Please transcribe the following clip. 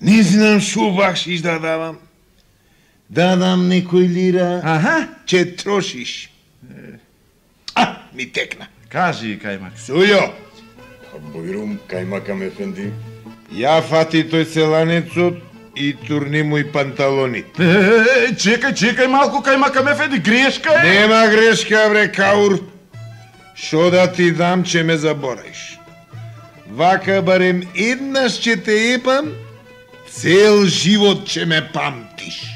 Не знам шо бакшиш да давам. Да дам некој лира, ќе трошиш. Ми текна. Кажи, Кајмак. Сујо, Бујрум, Кајмакам ефенди. ја фати тој селанецот и турни му и панталони. Чекај малку, Кајмакам ефенди, грешка е. Нема грешка, бре, Каур. Шо да ти дам, че ме забораиш. Вака барем еднаш ќе те епам, цел живот ќе ме памтиш.